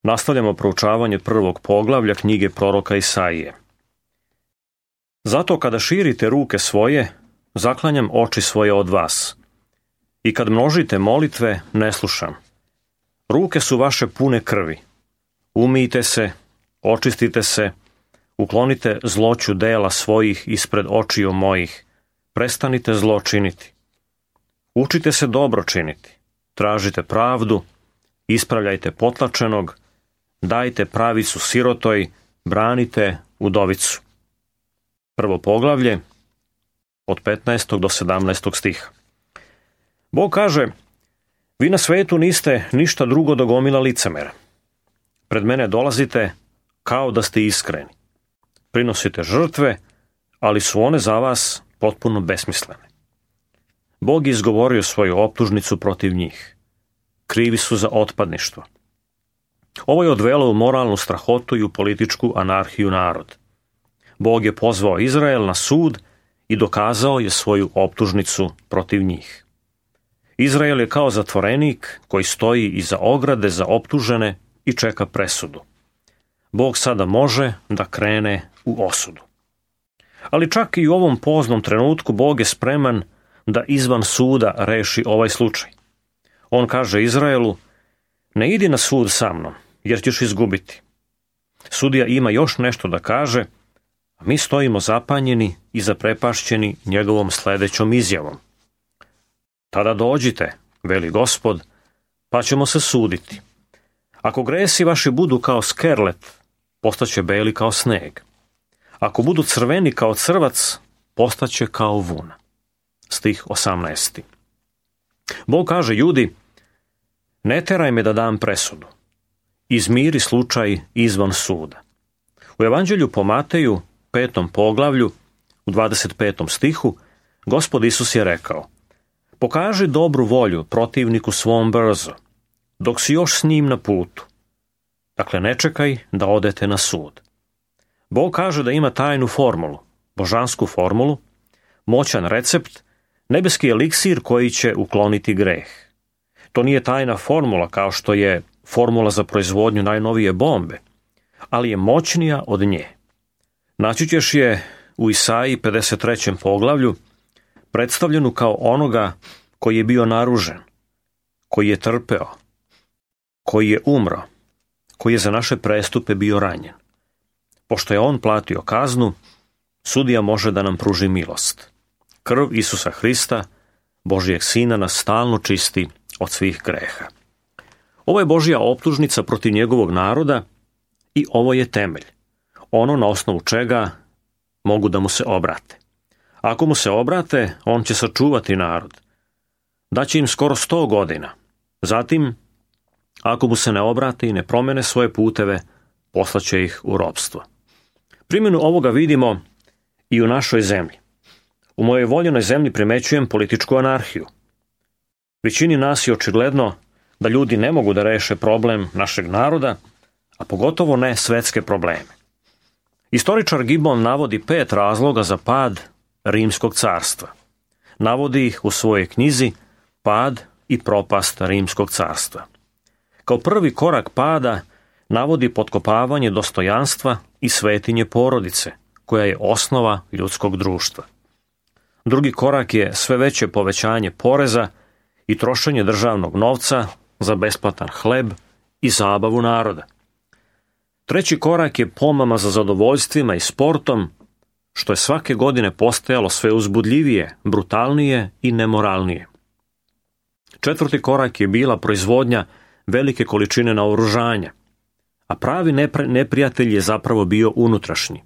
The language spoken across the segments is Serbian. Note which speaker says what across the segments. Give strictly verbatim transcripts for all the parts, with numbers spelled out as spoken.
Speaker 1: Nastavljamo proučavanje prvog poglavlja knjige proroka Isaije. Zato kada širite ruke svoje, zaklanjam oči svoje od vas. I kad množite molitve, ne slušam. Ruke su vaše pune krvi. Umijte se, očistite se, uklonite zloću dela svojih ispred očiju mojih. Prestanite zlo činiti. Učite se dobro činiti. Tražite pravdu, ispravljajte potlačenog, dajte pravicu sirotoj, branite udovicu. Prvo poglavlje, od petnaestog do sedamnaestog stiha. Bog kaže, vi na svetu niste ništa drugo do gomila licemera. Pred mene dolazite kao da ste iskreni. Prinosite žrtve, ali su one za vas potpuno besmislene. Bog je izgovorio svoju optužnicu protiv njih. Krivi su za otpadništvo. Ovo je odvelo u moralnu strahotu i u političku anarhiju narod. Bog je pozvao Izrael na sud i dokazao je svoju optužnicu protiv njih. Izrael je kao zatvorenik koji stoji iza ograde za optužene i čeka presudu. Bog sada može da krene u osudu. Ali čak i u ovom poznom trenutku Bog je spreman da izvan suda reši ovaj slučaj. On kaže Izraelu, ne idi na sud sa mnom, jer ćeš izgubiti. Sudija ima još nešto da kaže, a mi stojimo zapanjeni i zaprepašćeni njegovom sledećom izjavom. Tada dođite, veli Gospod, pa ćemo se suditi. Ako gresi vaši budu kao skerlet, postaće beli kao sneg. Ako budu crveni kao crvac, postaće kao vuna. Stih osamnaesti. Bog kaže Judi, ne teraj me da dam presudu. Izmiri slučaj izvan suda. U Evanđelju po Mateju, petom poglavlju, u dvadeset petom stihu, Gospod Isus je rekao, pokaži dobru volju protivniku svom brzo, dok si još s njim na putu. Dakle, ne čekaj da odete na sud. Bog kaže da ima tajnu formulu, božansku formulu, moćan recept, nebeski eliksir koji će ukloniti greh. To nije tajna formula kao što je formula za proizvodnju najnovije bombe, ali je moćnija od nje. Naći ćeš je u Isaiji pedeset trećem poglavlju, predstavljenu kao onoga koji je bio naružen, koji je trpeo, koji je umro, koji je za naše prestupe bio ranjen. Pošto je on platio kaznu, sudija može da nam pruži milost. Krv Isusa Hrista, Božijeg Sina, nas stalno čisti od svih greha. Ovo je Božja optužnica protiv njegovog naroda i ovo je temelj, ono na osnovu čega mogu da mu se obrate. Ako mu se obrate, on će sačuvati narod. Daće im skoro sto godina. Zatim, ako mu se ne obrate i ne promene svoje puteve, poslaće ih u ropstvo. Primjenu ovoga vidimo i u našoj zemlji. U mojoj voljenoj zemlji primećujem političku anarhiju. Većini nas je očigledno da ljudi ne mogu da reše problem našeg naroda, a pogotovo ne svetske probleme. Istoričar Gibbon navodi pet razloga za pad Rimskog carstva. Navodi ih u svojoj knjizi Pad i propast Rimskog carstva. Kao prvi korak pada navodi potkopavanje dostojanstva i svetinje porodice, koja je osnova ljudskog društva. Drugi korak je sve veće povećanje poreza i trošenje državnog novca za besplatan hleb i zabavu naroda. Treći korak je pomama za zadovoljstvima i sportom, što je svake godine postajalo sve uzbudljivije, brutalnije i nemoralnije. Četvrti korak je bila proizvodnja velike količine naoružanja, a pravi neprijatelj je zapravo bio unutrašnji.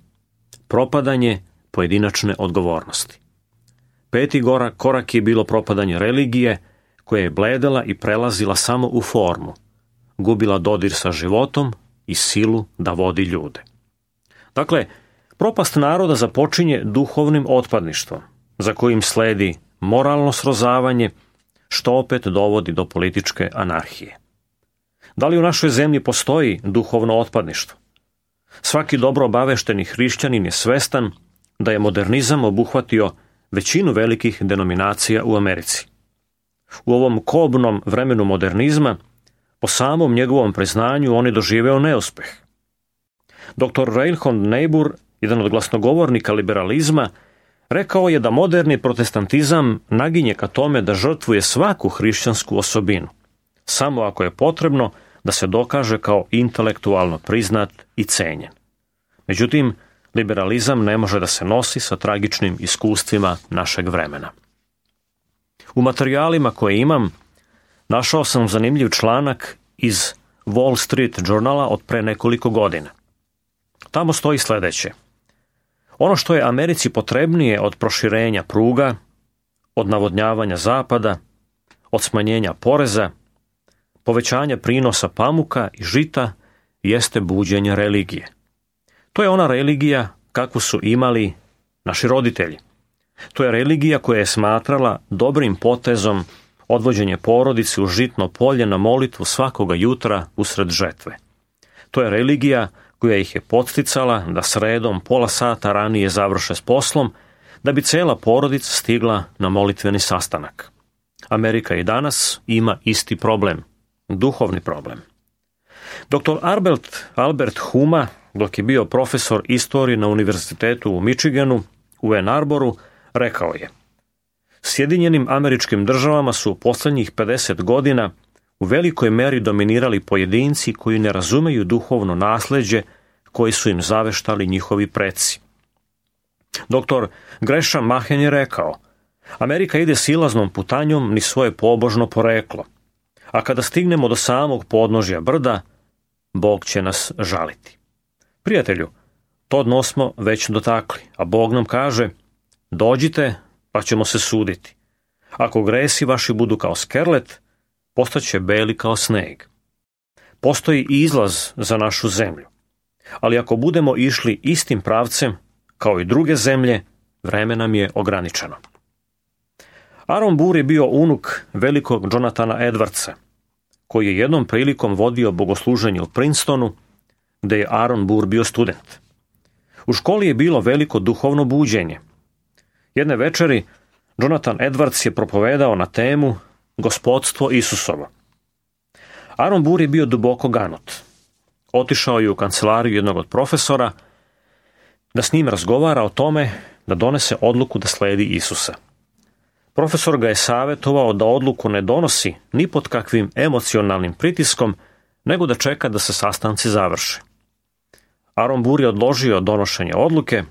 Speaker 1: Propadanje pojedinačne odgovornosti. Peti korak je bilo propadanje religije, koja je bledela i prelazila samo u formu, gubila dodir sa životom i silu da vodi ljude. Dakle, propast naroda započinje duhovnim otpadništvom, za kojim sledi moralno srozavanje, što opet dovodi do političke anarhije. Da li u našoj zemlji postoji duhovno otpadništvo? Svaki dobro obavešteni hrišćanin je svestan da je modernizam obuhvatio većinu velikih denominacija u Americi. U ovom kobnom vremenu modernizma Po samom njegovom priznanju on je doživeo neuspeh. doktor Reinhold Niebuhr, jedan od glasnogovornika liberalizma, rekao je da moderni protestantizam naginje ka tome da žrtvuje svaku hrišćansku osobinu, samo ako je potrebno da se dokaže kao intelektualno priznat i cenjen. Međutim, liberalizam ne može da se nosi sa tragičnim iskustvima našeg vremena. U materijalima koje imam našao sam zanimljiv članak iz Wall Street Journala od pre nekoliko godina. Tamo stoji sledeće. Ono što je Americi potrebnije od proširenja pruga, od navodnjavanja zapada, od smanjenja poreza, povećanja prinosa pamuka i žita, jeste buđenje religije. To je ona religija kakvu su imali naši roditelji. To je religija koja je smatrala dobrim potezom odvođenje porodice u žitno polje na molitvu svakoga jutra usred žetve. To je religija koja ih je podsticala da sredom pola sata ranije završe s poslom, da bi cela porodica stigla na molitveni sastanak. Amerika i danas ima isti problem, duhovni problem. doktor Albert, Albert Huma, dok je bio profesor istorije na univerzitetu u Michiganu, u Ann Arboru, rekao je: Sjedinjenim Američkim Državama su u poslednjih pedeset godina u velikoj meri dominirali pojedinci koji ne razumeju duhovno nasleđe koji su im zaveštali njihovi preci. doktor Gresham Machen je rekao: Amerika ide silaznom putanjom ni svoje pobožno poreklo, a kada stignemo do samog podnožja brda, Bog će nas žaliti. Prijatelju, to dno smo već dotakli, a Bog nam kaže: dođite, pa ćemo se suditi. Ako gresi vaši budu kao skerlet, postaće beli kao sneg. Postoji izlaz za našu zemlju, ali ako budemo išli istim pravcem, kao i druge zemlje, vreme nam je ograničeno. Aaron Burr je bio unuk velikog Jonathana Edwardsa, koji je jednom prilikom vodio bogosluženje u Princetonu, gde je Aaron Burr bio student. U školi je bilo veliko duhovno buđenje. Jedne večeri Jonathan Edwards je propovedao na temu Gospodstvo Isusovo. Aaron Burr je bio duboko ganut. Otišao je u kancelariju jednog od profesora da s njim razgovara o tome da donese odluku da sledi Isusa. Profesor ga je savjetovao da odluku ne donosi ni pod kakvim emocionalnim pritiskom, nego da čeka da se sastanci završe. Aaron Burr je odložio donošenje odluke,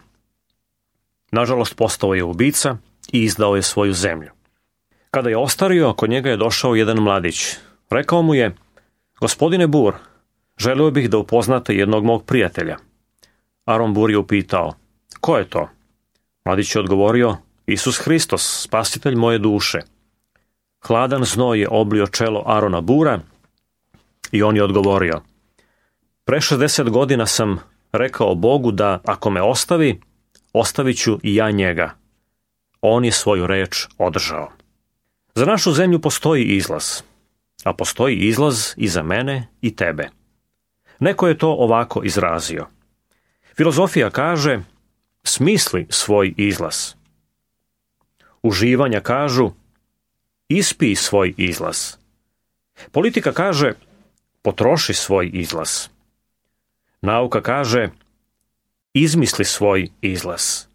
Speaker 1: nažalost postao je ubica i izdao je svoju zemlju. Kada je ostario, kod njega je došao jedan mladić. Rekao mu je: Gospodine Burr, želeo bih da upoznate jednog mog prijatelja. Aaron Burr je upitao: Ko je to? Mladić je odgovorio: Isus Hristos, spasitelj moje duše. Hladan znoj je oblio čelo Aarona Burra i on je odgovorio: Pre šezdeset godina sam rekao Bogu da ako me ostavi, ostavit ću i ja njega. On je svoju reč održao. Za našu zemlju postoji izlaz, a postoji izlaz i za mene i tebe. Neko je to ovako izrazio. Filozofija kaže: smisli svoj izlaz. Uživanja kažu: ispij svoj izlaz. Politika kaže: potroši svoj izlaz. Nauka kaže: izmisli svoj izlaz.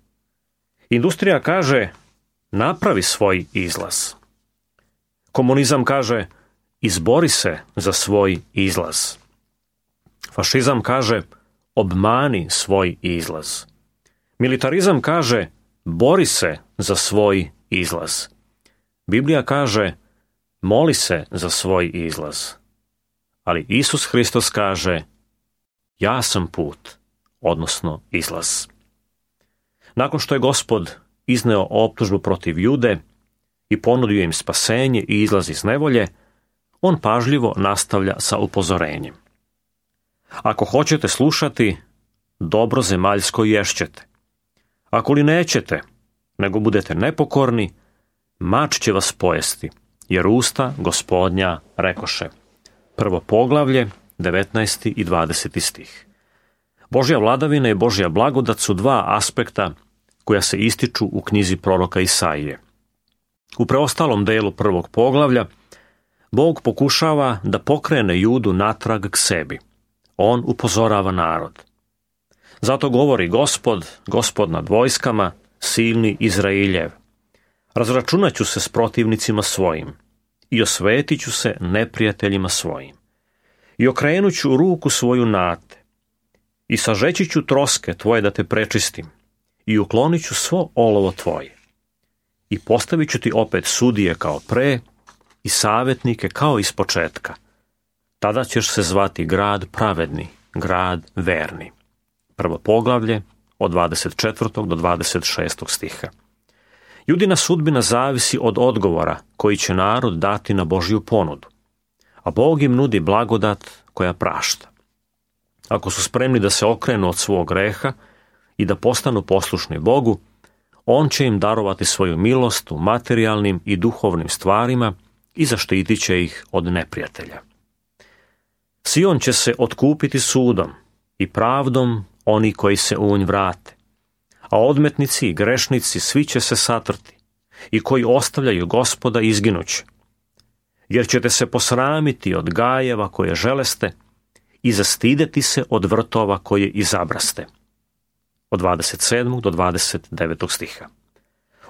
Speaker 1: Industrija kaže: napravi svoj izlaz. Komunizam kaže: izbori se za svoj izlaz. Fašizam kaže: obmani svoj izlaz. Militarizam kaže: bori se za svoj izlaz. Biblija kaže: moli se za svoj izlaz. Ali Isus Hristos kaže: ja sam put, odnosno izlaz. Nakon što je Gospod izneo optužbu protiv Jude i ponudio im spasenje i izlaz iz nevolje, on pažljivo nastavlja sa upozorenjem. Ako hoćete slušati, dobro zemaljsko ješćete. Ako li nećete, nego budete nepokorni, mač će vas pojesti, jer usta Gospodnja rekoše. Prvo poglavlje, devetnaesti i dvadeseti stih. Božja vladavina i Božja blagodat su dva aspekta koja se ističu u knjizi proroka Isaije. U preostalom delu prvog poglavlja Bog pokušava da pokrene Judu natrag k sebi. On upozorava narod. Zato govori Gospod, Gospod nad vojskama, silni Izrailjev. Razračunat ću se s protivnicima svojim i osvetit ću se neprijateljima svojim. I okrenut ću ruku svoju na te i sažeći ću troske tvoje da te prečistim i uklonit ću svo olovo tvoje. I postavit ću ti opet sudije kao pre i savjetnike kao iz početka. Tada ćeš se zvati grad pravedni, grad verni. Prvo poglavlje od dvadeset četvrtog do dvadeset šestog stiha. Judina sudbina zavisi od odgovora koji će narod dati na Božju ponudu, a Bog im nudi blagodat koja prašta. Ako su spremni da se okrenu od svog greha i da postanu poslušni Bogu, On će im darovati svoju milost u materijalnim i duhovnim stvarima i zaštitit će ih od neprijatelja. Sion će se otkupiti sudom i pravdom oni koji se u nj vrate, a odmetnici i grešnici svi će se satrti i koji ostavljaju Gospoda izginuće, jer ćete se posramiti od gajeva koje želeste i zastideti se od vrtova koje izabraste. Od dvadeset sedmog do dvadeset devetog stiha.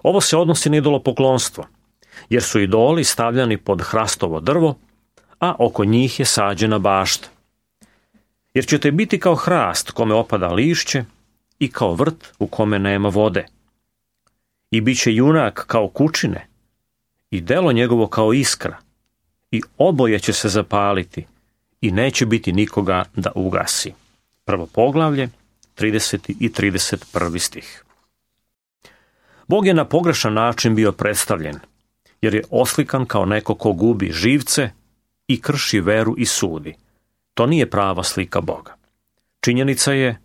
Speaker 1: Ovo se odnosi na idolopoklonstvo, jer su idoli stavljani pod hrastovo drvo, a oko njih je sađena bašta. Jer ćete biti kao hrast kome opada lišće i kao vrt u kome nema vode. I bit će junak kao kučine i delo njegovo kao iskra i oboje će se zapaliti i neće biti nikoga da ugasi. Prvo poglavlje, trideseti i trideset prvi stih. Bog je na pogrešan način bio predstavljen, jer je oslikan kao neko ko gubi živce i krši veru i sudi. To nije prava slika Boga. Činjenica je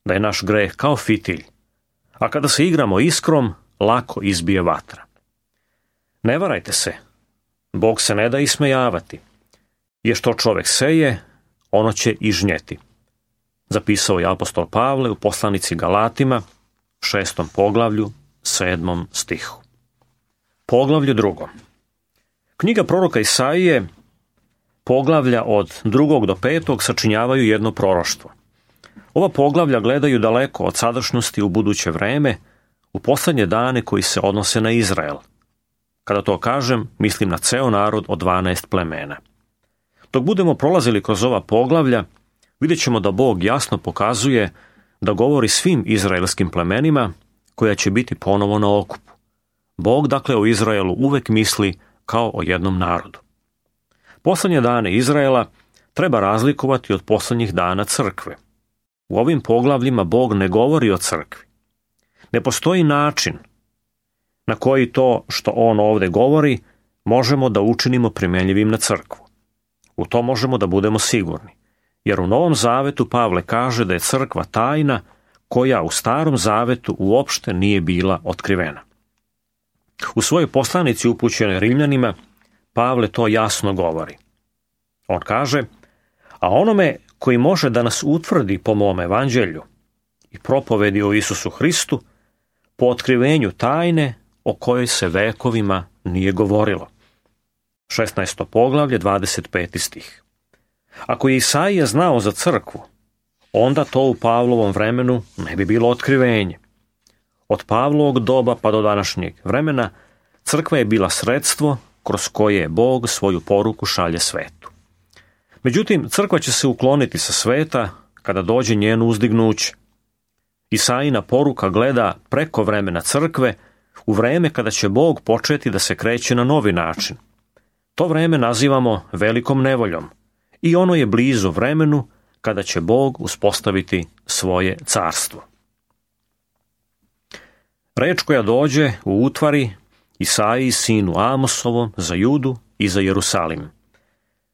Speaker 1: da je naš greh kao fitilj, a kada se igramo iskrom, lako izbije vatra. Ne varajte se, Bog se ne da ismejavati, jer što čovek seje, ono će i žnjeti. Zapisao je apostol Pavle u poslanici Galatima, šestom poglavlju, sedmom stihu. Poglavlje drugo. Knjiga proroka Isaije, poglavlja od drugog do petog sačinjavaju jedno proroštvo. Ova poglavlja gledaju daleko od sadašnjosti u buduće vreme, u posljednje dane koji se odnose na Izrael. Kada to kažem, mislim na ceo narod od dvanaest plemena. Dok budemo prolazili kroz ova poglavlja, vidjet ćemo da Bog jasno pokazuje da govori svim izraelskim plemenima koja će biti ponovo na okupu. Bog dakle o Izraelu uvek misli kao o jednom narodu. Poslednje dane Izraela treba razlikovati od poslednjih dana crkve. U ovim poglavljima Bog ne govori o crkvi. Ne postoji način na koji to što on ovde govori možemo da učinimo primenljivim na crkvu. U to možemo da budemo sigurni, jer u Novom zavetu Pavle kaže da je crkva tajna koja u Starom zavetu uopšte nije bila otkrivena. U svojoj poslanici upućenoj Rimljanima Pavle to jasno govori. On kaže, a onome koji može da nas utvrdi po mom evanđelju i propovedi o Isusu Hristu, po otkrivenju tajne o kojoj se vekovima nije govorilo. šesnaesto poglavlje, dvadeset peti stih. Ako je Isaija znao za crkvu, onda to u Pavlovom vremenu ne bi bilo otkrivenje. Od Pavlovog doba pa do današnjeg vremena crkva je bila sredstvo kroz koje Bog svoju poruku šalje svetu. Međutim, crkva će se ukloniti sa sveta kada dođe njeno uzdignuće. Isaijina poruka gleda preko vremena crkve u vreme kada će Bog početi da se kreće na novi način. To vreme nazivamo velikom nevoljom i ono je blizu vremenu kada će Bog uspostaviti svoje carstvo. Reč koja dođe u utvari Isaiji sinu Amosovom za Judu i za Jerusalim.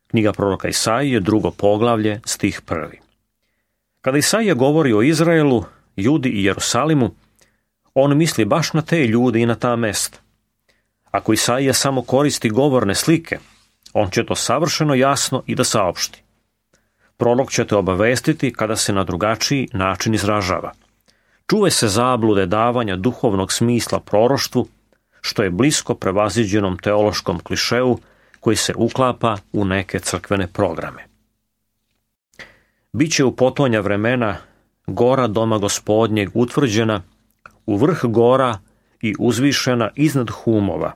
Speaker 1: Knjiga proroka Isaije, drugo poglavlje, stih prvi. Kada Isaija govori o Izraelu, Judi i Jerusalimu, on misli baš na te ljude i na ta mesta. Ako Isaija samo koristi govorne slike, on će to savršeno jasno i da saopšti. Prorok će te obavestiti kada se na drugačiji način izražava. Čuvaj se zablude davanja duhovnog smisla proroštvu, što je blisko prevaziđenom teološkom klišeu koji se uklapa u neke crkvene programe. Biće u potonja vremena gora doma Gospodnjeg utvrđena u vrh gora i uzvišena iznad humova,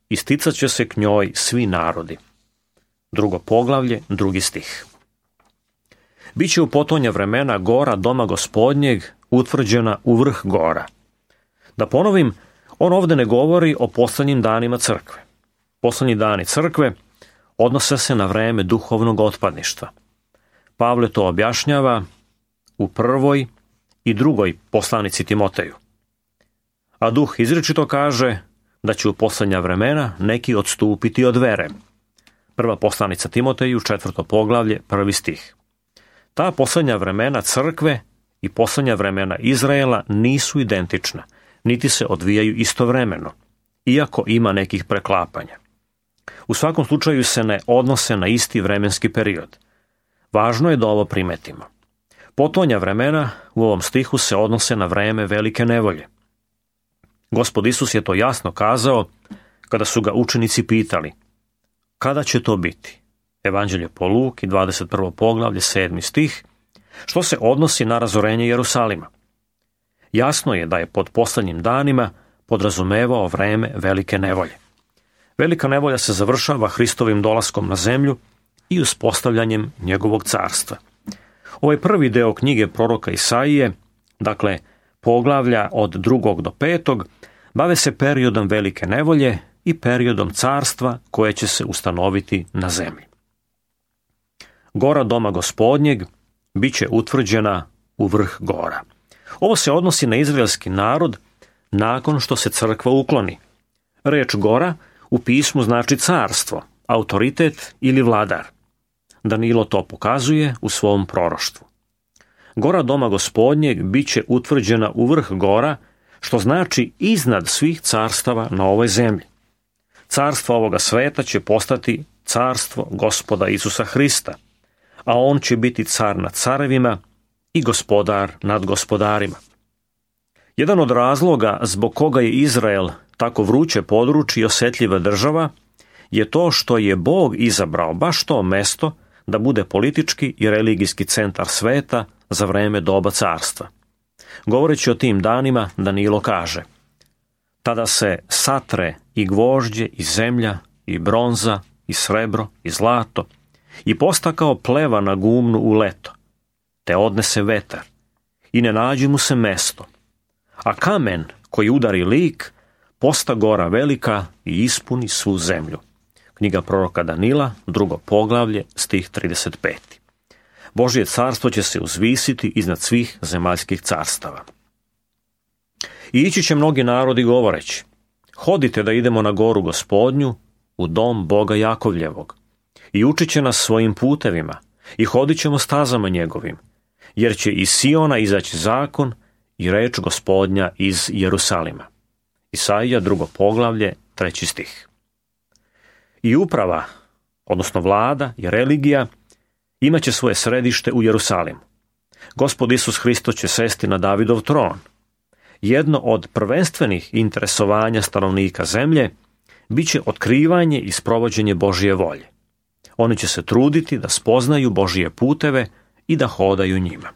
Speaker 1: i sticat će se k njoj svi narodi. Drugo poglavlje, drugi stih. Biće u potonja vremena gora doma Gospodnjeg utvrđena u vrh gora. Da ponovim, on ovdje ne govori o poslednjim danima crkve. Poslednji dani crkve odnose se na vreme duhovnog otpadništva. Pavle to objašnjava u prvoj i drugoj poslanici Timoteju. A duh izričito kaže da će u posljednja vremena neki odstupiti od vere. Prva poslanica Timoteju, četvrto poglavlje, prvi stih. Ta posljednja vremena crkve i posljednja vremena Izraela nisu identična, niti se odvijaju istovremeno, iako ima nekih preklapanja. U svakom slučaju se ne odnose na isti vremenski period. Važno je da ovo primetimo. Potonja vremena u ovom stihu se odnose na vreme velike nevolje. Gospod Isus je to jasno kazao kada su ga učenici pitali: kada će to biti? Evanđelje po Luki, dvadeset prvo poglavlje, sedmi stih, što se odnosi na razorenje Jerusalima. Jasno je da je pod poslednjim danima podrazumevao vreme velike nevolje. Velika nevolja se završava Hristovim dolaskom na zemlju i uspostavljanjem njegovog carstva. Ovaj prvi deo knjige proroka Isaije, dakle poglavlja od drugog do petog, bave se periodom velike nevolje i periodom carstva koje će se ustanoviti na zemlji. Gora doma Gospodnjeg bit će utvrđena u vrh gora. Ovo se odnosi na izraelski narod nakon što se crkva ukloni. Reč gora u pismu znači carstvo, autoritet ili vladar. Danilo to pokazuje u svom proroštvu. Gora doma Gospodnjeg bit će utvrđena u vrh gora, što znači iznad svih carstava na ovoj zemlji. Carstvo ovoga sveta će postati carstvo Gospoda Isusa Hrista, a on će biti car nad carevima i gospodar nad gospodarima. Jedan od razloga zbog koga je Izrael tako vruće područje i osjetljiva država je to što je Bog izabrao baš to mesto da bude politički i religijski centar sveta za vreme doba carstva. Govoreći o tim danima, Danilo kaže: tada se satre i gvožđe i zemlja i bronza i srebro i zlato i posta kao pleva na gumnu u leto, te odnese vetar i ne nađe mu se mesto, a kamen koji udari lik posta gora velika i ispuni svu zemlju. Knjiga proroka Danila, drugo poglavlje, stih trideset pet. Božje carstvo će se uzvisiti iznad svih zemaljskih carstava. I ići će mnogi narodi govoreći: hodite da idemo na goru Gospodnju, u dom Boga Jakovljevog, i učit će nas svojim putevima, i hodit ćemo stazama njegovim, jer će iz Siona izaći zakon i reč Gospodnja iz Jerusalima. Isaija, drugo poglavlje, treći stih. I uprava, odnosno vlada i religija, imaće svoje središte u Jerusalimu. Gospod Isus Hristos će sesti na Davidov tron. Jedno od prvenstvenih interesovanja stanovnika zemlje bit će otkrivanje i sprovođenje Božje volje. Oni će se truditi da spoznaju Božje puteve i da hodaju njima.